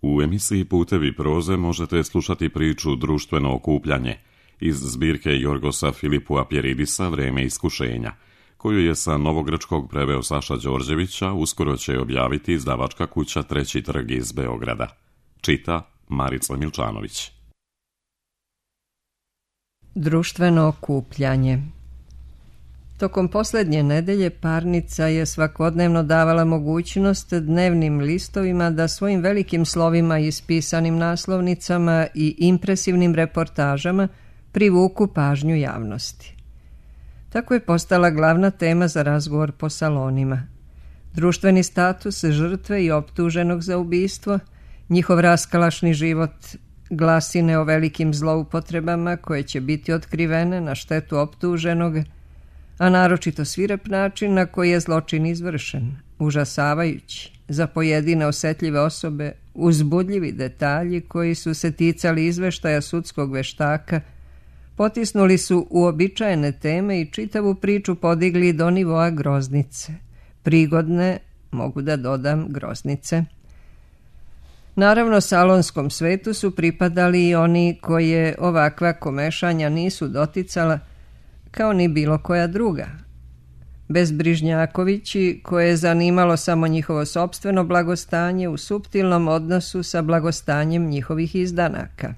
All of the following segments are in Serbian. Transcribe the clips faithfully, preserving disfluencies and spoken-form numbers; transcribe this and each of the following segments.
U emisiji Putevi proze možete slušati priču Društveno okupljanje iz zbirke Jorgosa Filipua Pjeridisa Vreme iskušenja, koju je sa novogrčkog preveo Saša Đorđevića, uskoro će objaviti izdavačka kuća Treći trg iz Beograda. Čita Marica Milčanović. Društveno okupljanje. Tokom posljednje nedelje parnica je svakodnevno davala mogućnost dnevnim listovima da svojim velikim slovima, ispisanim naslovnicama i impresivnim reportažama privuku pažnju javnosti. Tako je postala glavna tema za razgovor po salonima. Društveni status žrtve i optuženog za ubistvo, njihov raskalašni život, glasine o velikim zloupotrebama koje će biti otkrivene na štetu optuženog, a naročito svirep način na koji je zločin izvršen, užasavajući, za pojedine osetljive osobe, uzbudljivi detalji koji su se ticali izveštaja sudskog veštaka, potisnuli su uobičajene teme i čitavu priču podigli do nivoa groznice. Prigodne, mogu da dodam, groznice. Naravno, salonskom svetu su pripadali i oni koje ovakva komešanja nisu doticala, kao ni bilo koja druga. Bezbrižnjakovići, koje je zanimalo samo njihovo sopstveno blagostanje u suptilnom odnosu sa blagostanjem njihovih izdanaka.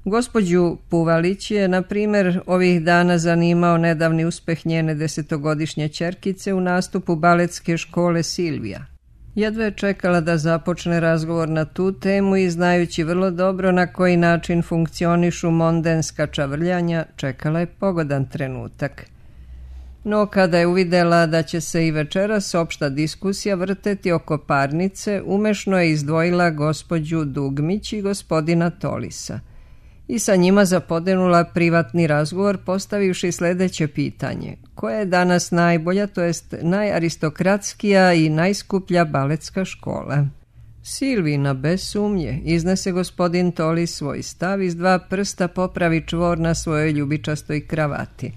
Gospođu Puvalić je, na primjer, ovih dana zanimao nedavni uspeh njene desetogodišnje ćerkice u nastupu baletske škole Silvija. Jedva je čekala da započne razgovor na tu temu i, znajući vrlo dobro na koji način funkcionišu mondenska čavrljanja, čekala je pogodan trenutak. No kada je uvidela da će se i večeras opšta diskusija vrteti oko parnice, umešno je izdvojila gospođu Dugmić i gospodina Tolisa i sa njima zapodenula privatni razgovor, postavivši sljedeće pitanje: koja je danas najbolja, to jest najaristokratskija i najskuplja baletska škola? Silvina, bez sumnje, iznese gospodin Tolis svoj stav, iz dva prsta popravi čvor na svojoj ljubičastoj kravati.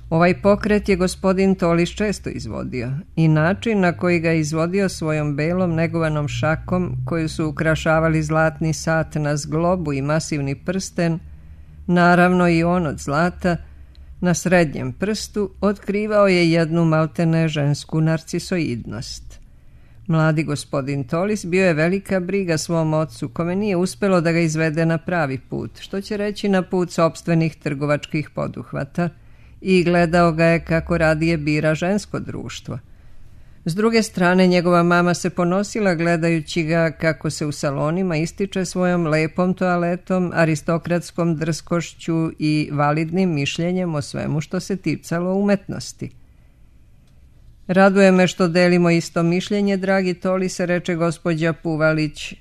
Ovaj pokret je gospodin Tolis često izvodio i način na koji ga izvodio svojom belom negovanom šakom, koju su ukrašavali zlatni sat na zglobu i masivni prsten, naravno i on od zlata, na srednjem prstu, otkrivao je jednu maltene žensku narcisoidnost. Mladi gospodin Tolis bio je velika briga svom ocu, kome nije uspelo da ga izvede na pravi put, što će reći na put sopstvenih trgovačkih poduhvata, i gledao ga je kako radije bira žensko društvo. S druge strane, njegova mama se ponosila gledajući ga kako se u salonima ističe svojom lepom toaletom, aristokratskom drskošću i validnim mišljenjem o svemu što se ticalo umetnosti. Raduje me što delimo isto mišljenje, dragi Tolise, reče gospođa Puvalić.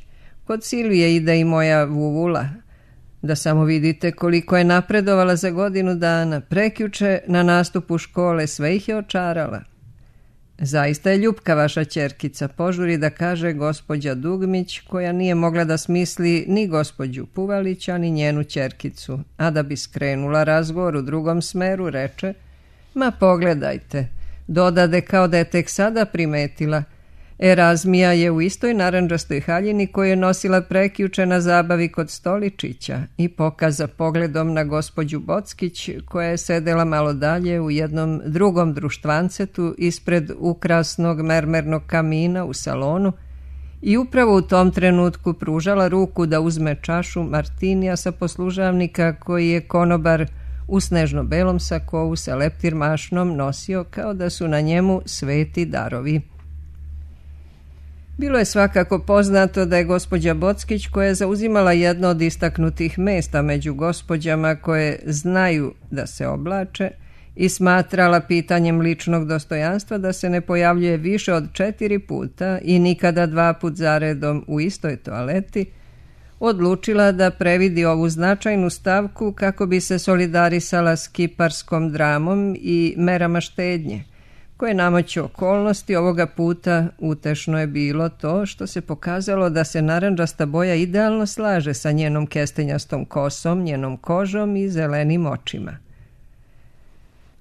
Kod Silvije ide i moja vuvula. Da samo vidite koliko je napredovala za godinu dana. Prekjuče na nastupu škole sve ih je očarala. Zaista je ljupka vaša ćerkica, požuri da kaže gospođa Dugmić, koja nije mogla da smisli ni gospođu Puvalića ni njenu ćerkicu, a da bi skrenula razgovor u drugom smeru, reče: ma pogledajte, dodade kao da je tek sada primetila. Erazmija je u istoj narandžastoj haljini koju je nosila prekjuče na zabavi kod Stoličića, i pokaza pogledom na gospođu Bockić, koja je sedela malo dalje u jednom drugom društvancetu ispred ukrasnog mermernog kamina u salonu i upravo u tom trenutku pružala ruku da uzme čašu martinija sa poslužavnika koji je konobar u snežno-belom sakovu sa leptir mašnom nosio kao da su na njemu sveti darovi. Bilo je svakako poznato da je gospođa Bockić, koja je zauzimala jedno od istaknutih mesta među gospođama koje znaju da se oblače, i smatrala pitanjem ličnog dostojanstva da se ne pojavljuje više od četiri puta i nikada dva put zaredom u istoj toaleti, odlučila da previdi ovu značajnu stavku kako bi se solidarisala s kiparskom dramom i merama štednje, koje namoću okolnosti ovoga puta utešno je bilo to što se pokazalo da se narandžasta boja idealno slaže sa njenom kestenjastom kosom, njenom kožom i zelenim očima.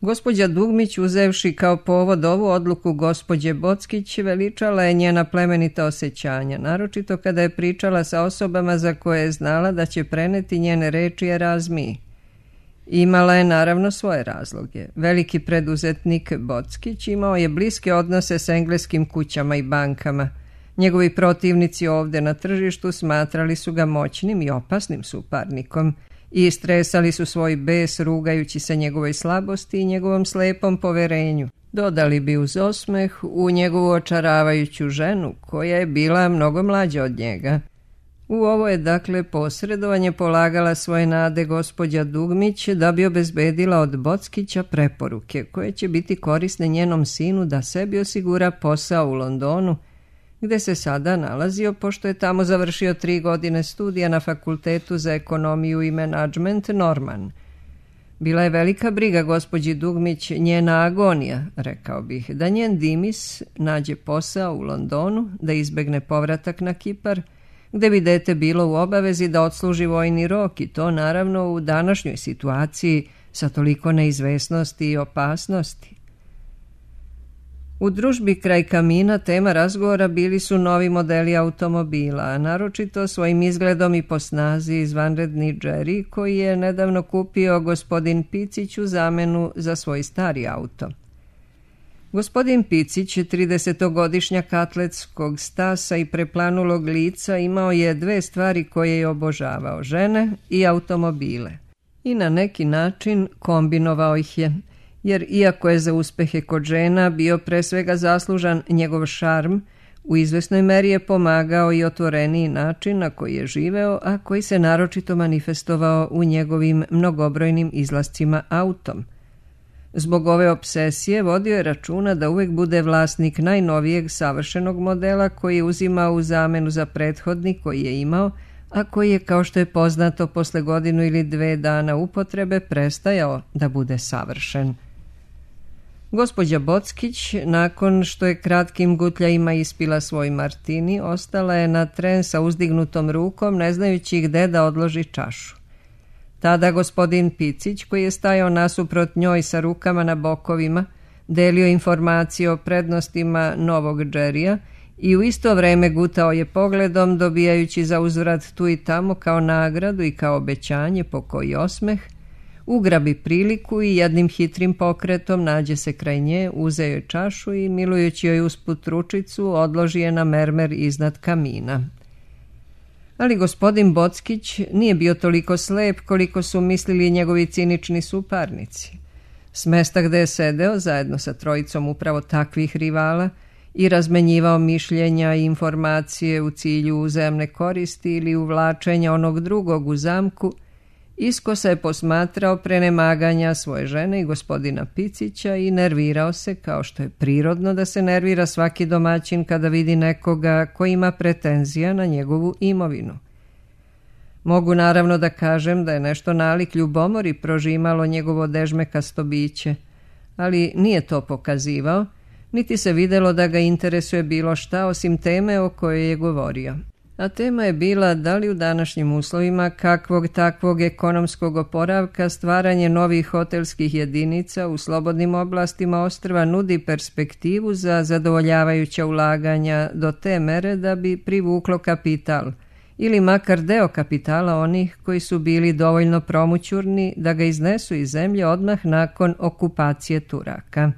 Gospođa Dugmić, uzevši kao povod ovu odluku gospođe Bockić, veličala je njena plemenita osjećanja, naročito kada je pričala sa osobama za koje je znala da će preneti njene reči Erazmiji. Imala je naravno svoje razloge. Veliki preduzetnik Bockić imao je bliske odnose s engleskim kućama i bankama. Njegovi protivnici ovdje na tržištu smatrali su ga moćnim i opasnim suparnikom i stresali su svoj bes rugajući se njegovoj slabosti i njegovom slepom poverenju. Dodali bi uz osmeh u njegovu očaravajuću ženu koja je bila mnogo mlađa od njega. U ovo je dakle posredovanje polagala svoje nade gospođa Dugmić da bi obezbedila od Bockića preporuke koje će biti korisne njenom sinu da sebi osigura posao u Londonu, gde se sada nalazio pošto je tamo završio tri godine studija na Fakultetu za ekonomiju i menadžment Norman. Bila je velika briga gospođi Dugmić, njena agonija, rekao bih, da njen Dimis nađe posao u Londonu, da izbegne povratak na Kipar, gde bi dete bilo u obavezi da odsluži vojni rok i to naravno u današnjoj situaciji sa toliko neizvesnosti i opasnosti. U družbi kraj kamina tema razgovora bili su novi modeli automobila, a naročito svojim izgledom i po snazi izvanredni Jerry koji je nedavno kupio gospodin Picić u zamenu za svoj stari auto. Gospodin Picić, tridesetogodišnjak atletskog stasa i preplanulog lica, imao je dve stvari koje je obožavao, žene i automobile. I na neki način kombinovao ih je, jer iako je za uspehe kod žena bio pre svega zaslužan njegov šarm, u izvesnoj meri je pomagao i otvoreniji način na koji je živeo, a koji se naročito manifestovao u njegovim mnogobrojnim izlascima autom. Zbog ove obsesije vodio je računa da uvek bude vlasnik najnovijeg savršenog modela koji je uzimao u zamenu za prethodni koji je imao, a koji je, kao što je poznato, posle godinu ili dve dana upotrebe prestajao da bude savršen. Gospođa Bockić, nakon što je kratkim gutljajima ispila svoj martini, ostala je na tren sa uzdignutom rukom, ne znajući gde da odloži čašu. Tada gospodin Picić, koji je stajao nasuprot njoj sa rukama na bokovima, delio informacije o prednostima novog Jerrya i u isto vreme gutao je pogledom, dobijajući za uzvrat tu i tamo kao nagradu i kao obećanje po koji osmeh, ugrabi priliku i jednim hitrim pokretom nađe se kraj nje, uzeo je čašu i, milujući joj usput ručicu, odloži je na mermer iznad kamina. Ali gospodin Bockić nije bio toliko slep koliko su mislili njegovi cinični suparnici. S mesta gde je sedeo, zajedno sa trojicom upravo takvih rivala, i razmenjivao mišljenja i informacije u cilju uzajamne koristi ili uvlačenja onog drugog u zamku, iskosa je posmatrao prenemaganja svoje žene i gospodina Picića i nervirao se, kao što je prirodno da se nervira svaki domaćin kada vidi nekoga koji ima pretenzija na njegovu imovinu. Mogu naravno da kažem da je nešto nalik ljubomori prožimalo njegovo dežmekasto biće, ali nije to pokazivao, niti se videlo da ga interesuje bilo šta osim teme o kojoj je govorio. A tema je bila da li u današnjim uslovima kakvog takvog ekonomskog oporavka stvaranje novih hotelskih jedinica u slobodnim oblastima ostrva nudi perspektivu za zadovoljavajuća ulaganja do te mere da bi privuklo kapital ili makar deo kapitala onih koji su bili dovoljno promućurni da ga iznesu iz zemlje odmah nakon okupacije Turaka.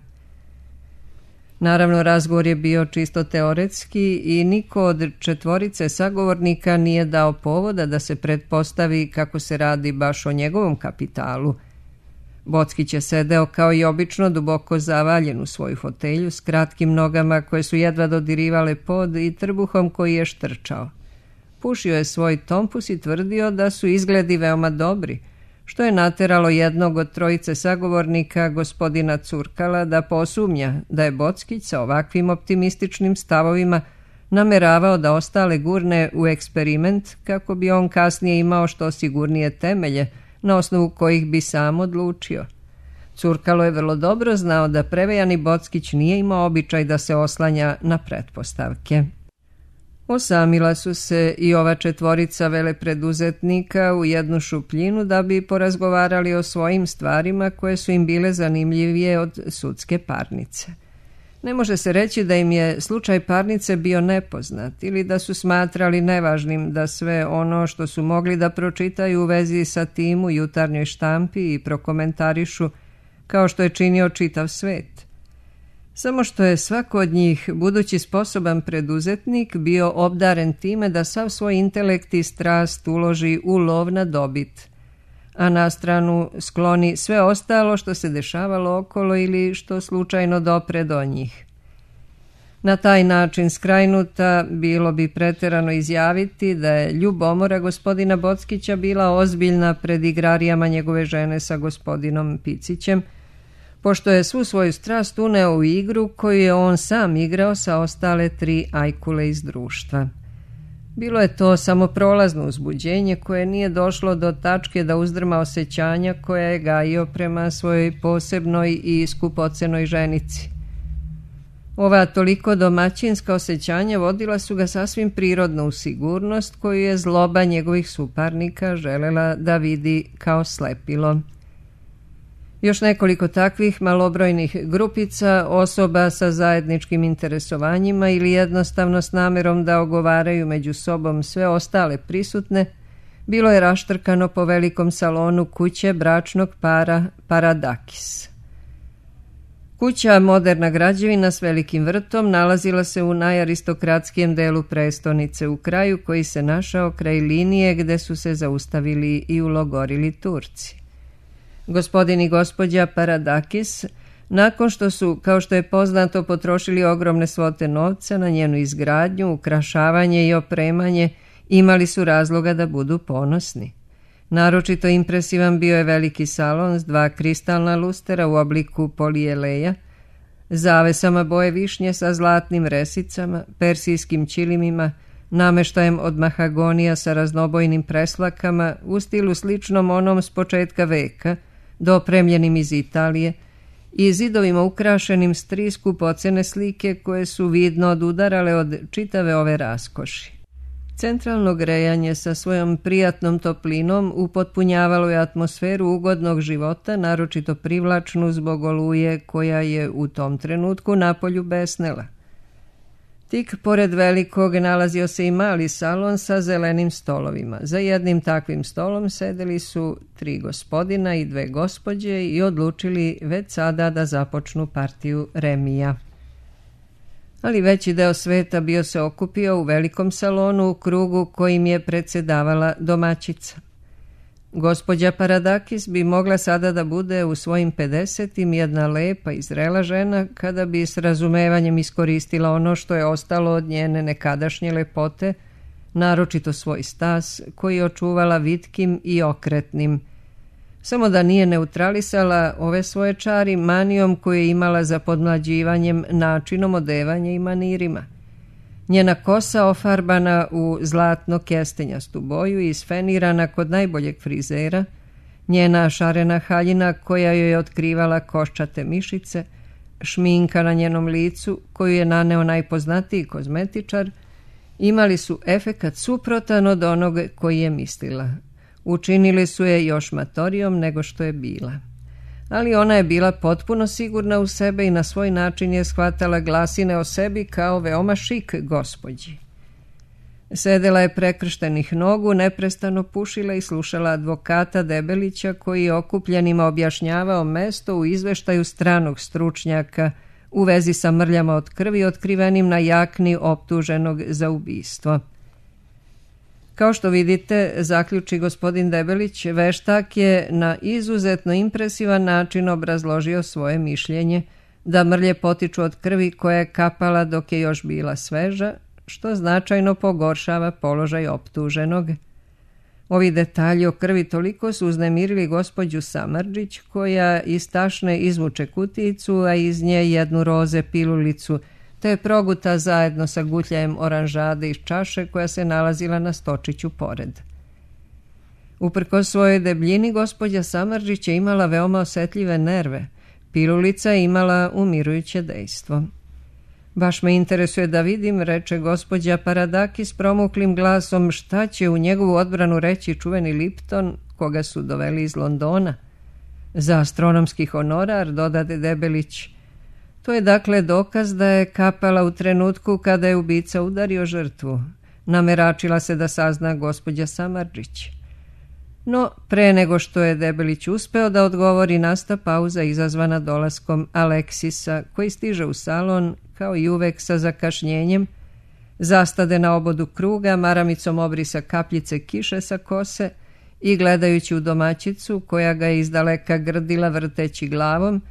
Naravno, razgovor je bio čisto teoretski i niko od četvorice sagovornika nije dao povoda da se pretpostavi kako se radi baš o njegovom kapitalu. Bockić je sedeo kao i obično duboko zavaljen u svoju fotelju s kratkim nogama koje su jedva dodirivale pod i trbuhom koji je štrčao. Pušio je svoj tompus i tvrdio da su izgledi veoma dobri, što je nateralo jednog od trojice sagovornika, gospodina Curkala, da posumnja da je Bockić sa ovakvim optimističnim stavovima nameravao da ostale gurne u eksperiment kako bi on kasnije imao što sigurnije temelje na osnovu kojih bi sam odlučio. Curkalo je vrlo dobro znao da prevejani Bockić nije imao običaj da se oslanja na pretpostavke. Osamila su se i ova četvorica velepreduzetnika u jednu šupljinu da bi porazgovarali o svojim stvarima koje su im bile zanimljivije od sudske parnice. Ne može se reći da im je slučaj parnice bio nepoznat ili da su smatrali nevažnim da sve ono što su mogli da pročitaju u vezi sa tim u jutarnjoj štampi i prokomentarišu kao što je činio čitav svet. Samo što je svako od njih, budući sposoban preduzetnik, bio obdaren time da sav svoj intelekt i strast uloži u lov na dobit, a na stranu skloni sve ostalo što se dešavalo okolo ili što slučajno dopre do njih. Na taj način skrajnuta bilo bi preterano izjaviti da je ljubomora gospodina Bockića bila ozbiljna pred igrarijama njegove žene sa gospodinom Picićem, pošto je svu svoju strast uneo u igru koju je on sam igrao sa ostale tri ajkule iz društva. Bilo je to samo prolazno uzbuđenje koje nije došlo do tačke da uzdrma osjećanja koja je gajio prema svojoj posebnoj i skupocenoj ženici. Ova toliko domaćinska osjećanja vodila su ga sasvim prirodno u sigurnost koju je zloba njegovih suparnika želela da vidi kao slepilo. Još nekoliko takvih malobrojnih grupica, osoba sa zajedničkim interesovanjima ili jednostavno s namerom da ogovaraju među sobom sve ostale prisutne, bilo je raštrkano po velikom salonu kuće bračnog para Paradakis. Kuća, moderna građevina s velikim vrtom, nalazila se u najaristokratskijem delu prestonice, u kraju koji se našao kraj linije gde su se zaustavili i ulogorili Turci. Gospodin i gospođa Paradakis, nakon što su, kao što je poznato, potrošili ogromne svote novca na njenu izgradnju, ukrašavanje i opremanje, imali su razloga da budu ponosni. Naročito impresivan bio je veliki salon s dva kristalna lustera u obliku polijeleja, zavesama boje višnje sa zlatnim resicama, persijskim ćilimima, nameštajem od mahagonija sa raznobojnim preslakama u stilu sličnom onom s početka veka, dopremljenim iz Italije, i zidovima ukrašenim s tri skupocene slike koje su vidno odudarale od čitave ove raskoši. Centralno grejanje sa svojom prijatnom toplinom upotpunjavalo je atmosferu ugodnog života, naročito privlačnu zbog oluje koja je u tom trenutku napolju besnela. Tik pored velikog nalazio se i mali salon sa zelenim stolovima. Za jednim takvim stolom sedeli su tri gospodina i dve gospođe i odlučili već sada da započnu partiju remija. Ali veći deo sveta bio se okupio u velikom salonu u krugu kojim je predsedavala domaćica. Gospođa Paradakis bi mogla sada da bude u svojim pedesetim jedna lepa i zrela žena kada bi s razumevanjem iskoristila ono što je ostalo od njene nekadašnje lepote, naročito svoj stas koji je očuvala vitkim i okretnim, samo da nije neutralisala ove svoje čari manijom koju je imala za podmlađivanjem, načinom odevanja i manirima. Njena kosa ofarbana u zlatno kestenjastu boju i isfenirana kod najboljeg frizera, njena šarena haljina koja joj je otkrivala koščate mišice, šminka na njenom licu koju je naneo najpoznatiji kozmetičar, imali su efekat suprotan od onog koji je mislila. Učinili su je još matorijom nego što je bila. Ali ona je bila potpuno sigurna u sebe i na svoj način je shvatala glasine o sebi kao veoma šik gospođi. Sedela je prekrštenih nogu, neprestano pušila i slušala advokata Debelića koji je okupljenima objašnjavao mesto u izveštaju stranog stručnjaka u vezi sa mrljama od krvi otkrivenim na jakni optuženog za ubistvo. Kao što vidite, zaključi gospodin Debelić, veštak je na izuzetno impresivan način obrazložio svoje mišljenje da mrlje potiču od krvi koja je kapala dok je još bila sveža, što značajno pogoršava položaj optuženog. Ovi detalji o krvi toliko su uznemirili gospođu Samardžić, koja iz tašne izvuče kutijicu, a iz nje jednu roze pilulicu, te je proguta zajedno sa gutljajem oranžade iz čaše koja se nalazila na stočiću pored. Uprkos svojoj debljini, gospođa Samardžić je imala veoma osetljive nerve. Pilulica je imala umirujuće dejstvo. Baš me interesuje da vidim, reče gospođa Paradakis promuklim glasom, šta će u njegovu odbranu reći čuveni Lipton, koga su doveli iz Londona. Za astronomski honorar, dodade Debelić. To je dakle dokaz da je kapala u trenutku kada je ubica udario žrtvu. Nameračila se da sazna gospođa Samardžić. No, pre nego što je Debelić uspeo da odgovori, nasta pauza izazvana dolaskom Aleksisa, koji stiže u salon, kao i uvek sa zakašnjenjem, zastade na obodu kruga, maramicom obrisa kapljice kiše sa kose i gledajući u domaćicu, koja ga je izdaleka grdila vrteći glavom,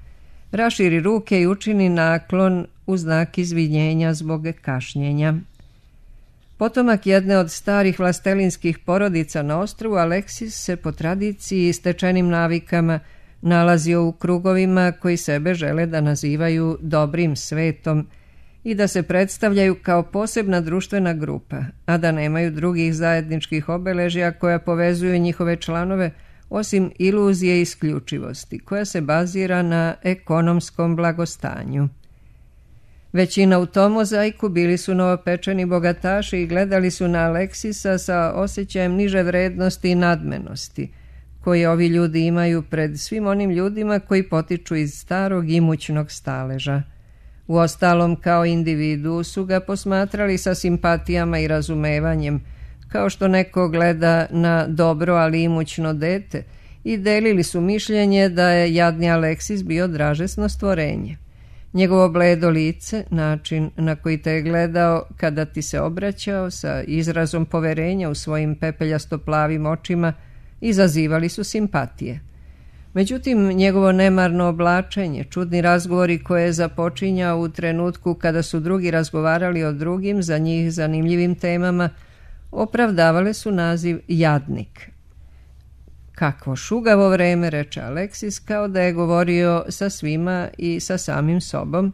raširi ruke i učini naklon u znak izvinjenja zbog kašnjenja. Potomak jedne od starih vlastelinskih porodica na ostrvu, Aleksis se po tradiciji i stečenim navikama nalazio u krugovima koji sebe žele da nazivaju dobrim svetom i da se predstavljaju kao posebna društvena grupa, a da nemaju drugih zajedničkih obeležja koja povezuju njihove članove, osim iluzije isključivosti, koja se bazira na ekonomskom blagostanju. Većina u tom mozaiku bili su novopečeni bogataši i gledali su na Aleksisa sa osjećajem niže vrednosti i nadmenosti, koje ovi ljudi imaju pred svim onim ljudima koji potiču iz starog imućnog staleža. Uostalom, kao individu su ga posmatrali sa simpatijama i razumevanjem, kao što neko gleda na dobro ali imućno dete, i delili su mišljenje da je jadni Aleksis bio dražesno stvorenje. Njegovo bledo lice, način na koji te je gledao kada ti se obraćao sa izrazom poverenja u svojim pepeljasto plavim očima, izazivali su simpatije. Međutim, njegovo nemarno oblačenje, čudni razgovori koje je započinjao u trenutku kada su drugi razgovarali o drugim, za njih zanimljivim temama, opravdavale su naziv jadnik. Kakvo šugavo vreme, reče Aleksis, kao da je govorio sa svima i sa samim sobom.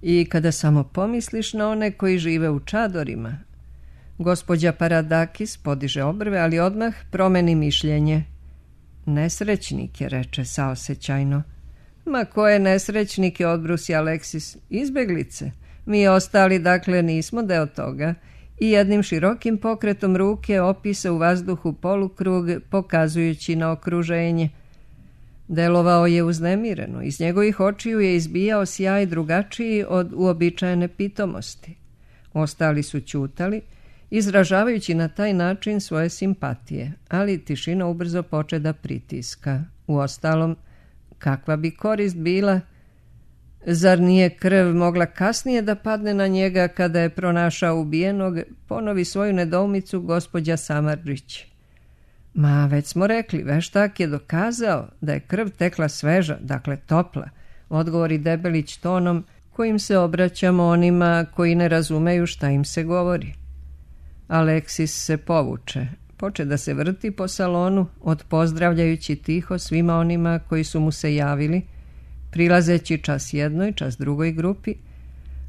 I kada samo pomisliš na one koji žive u čadorima. Gospođa Paradakis podiže obrve, ali odmah promeni mišljenje. Nesrećnike, reče saosećajno. Ma koje nesrećnike, odbrusi Aleksis, izbeglice. Mi ostali, dakle, nismo deo toga. I jednim širokim pokretom ruke opisa u vazduhu polukrug, pokazujući na okruženje. Delovao je uznemireno, iz njegovih očiju je izbijao sjaj drugačiji od uobičajene pitomosti. Ostali su ćutali, izražavajući na taj način svoje simpatije, ali tišina ubrzo poče da pritiska. Uostalom, kakva bi korist bila? Zar nije krv mogla kasnije da padne na njega kada je pronašao ubijenog, ponovi svoju nedoumicu gospođa Samardžić. Ma, već smo rekli, veštak je dokazao da je krv tekla sveža, dakle topla, odgovori Debelić tonom kojim se obraćamo onima koji ne razumeju šta im se govori. Aleksis se povuče, poče da se vrti po salonu, odpozdravljajući tiho svima onima koji su mu se javili, prilazeći čas jednoj, čas drugoj grupi,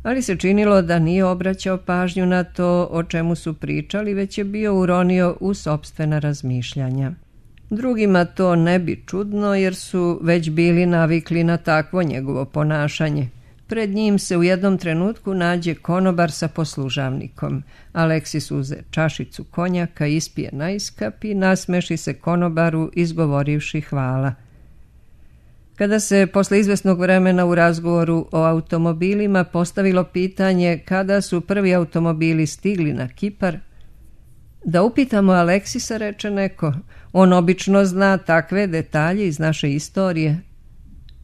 ali se činilo da nije obraćao pažnju na to o čemu su pričali, već je bio uronio u sopstvena razmišljanja. Drugima to ne bi čudno, jer su već bili navikli na takvo njegovo ponašanje. Pred njim se u jednom trenutku nađe konobar sa poslužavnikom. Aleksis uze čašicu konjaka, ispije najskap i nasmeši se konobaru izgovorivši hvala. Kada se posle izvesnog vremena u razgovoru o automobilima postavilo pitanje kada su prvi automobili stigli na Kipar, da upitamo Aleksisa, reče neko, on obično zna takve detalje iz naše istorije.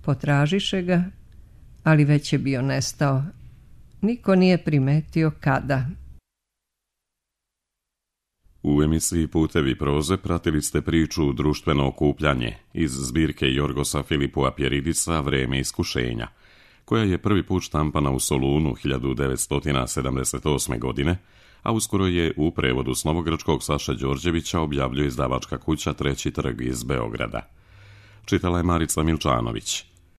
Potražiše ga, ali već je bio nestao. Niko nije primetio kada. U emisiji Putevi proze pratili ste priču Društveno okupljanje iz zbirke Jorgosa Filipua Pjeridisa Vreme iskušenja, koja je prvi put štampana u Solunu hiljadu devetsto sedamdeset osme. godine, a uskoro je u prevodu s novogračkog Saše Đorđevića objavljuje izdavačka kuća Treći trg iz Beograda. Čitala je Marica Milčanović.